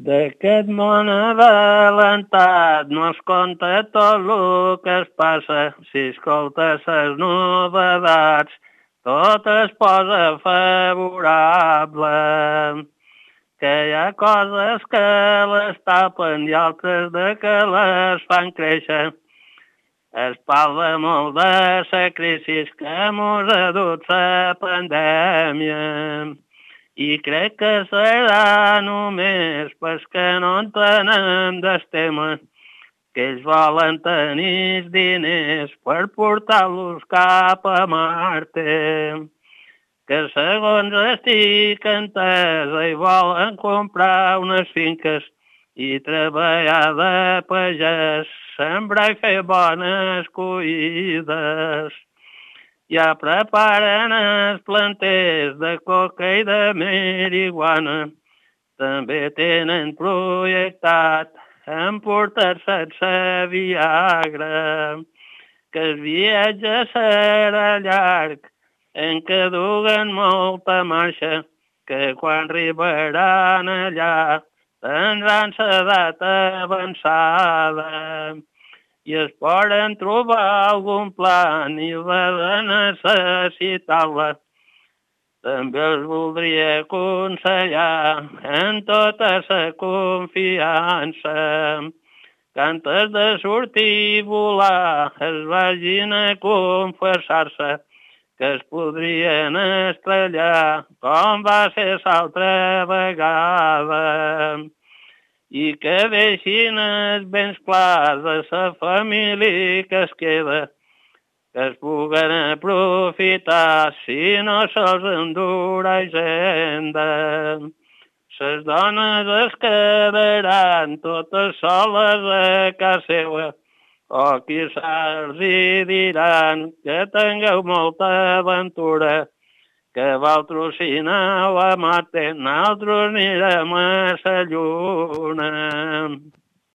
D'aquest món avalentat no es conta tot el que es passa. Si escoltes les novetats, tot es posa favorable. Que hi ha coses que les tapen i altres de que les fan créixer. Es parla molt de la crisi que mos ha dut la pandèmia. I crec que serà només pels que no entenem del tema, que ells volen tenir diners per portar-los cap a Marte. Que segons estic entesa i volen comprar unes finques i treballar de pagès, sembrar i fer bones collides. Ja preparen els planters de coca i de marihuana. També tenen projectat emportar-se la Viagra. Que el viatge serà llarg, en què duguen molta marxa, que quan arribaran allà tindran l'edat avançada. I es poden trobar algun plan i va de necessitar-la. També els voldria aconsellar en tota la confiança que antes de sortir i volar es vagin a confessar-se que es podrien estrellar com va ser l'altra vegada. I que deixin els béns clars de la família que es queda, que es puguen aprofitar si no se'ls endura hisenda. Les dones es quedaran totes soles a casa seva, o qui els hi diran que tingueu molta aventura, que vosaltres si aneu a Marte, nosaltres anirem a la Lluna.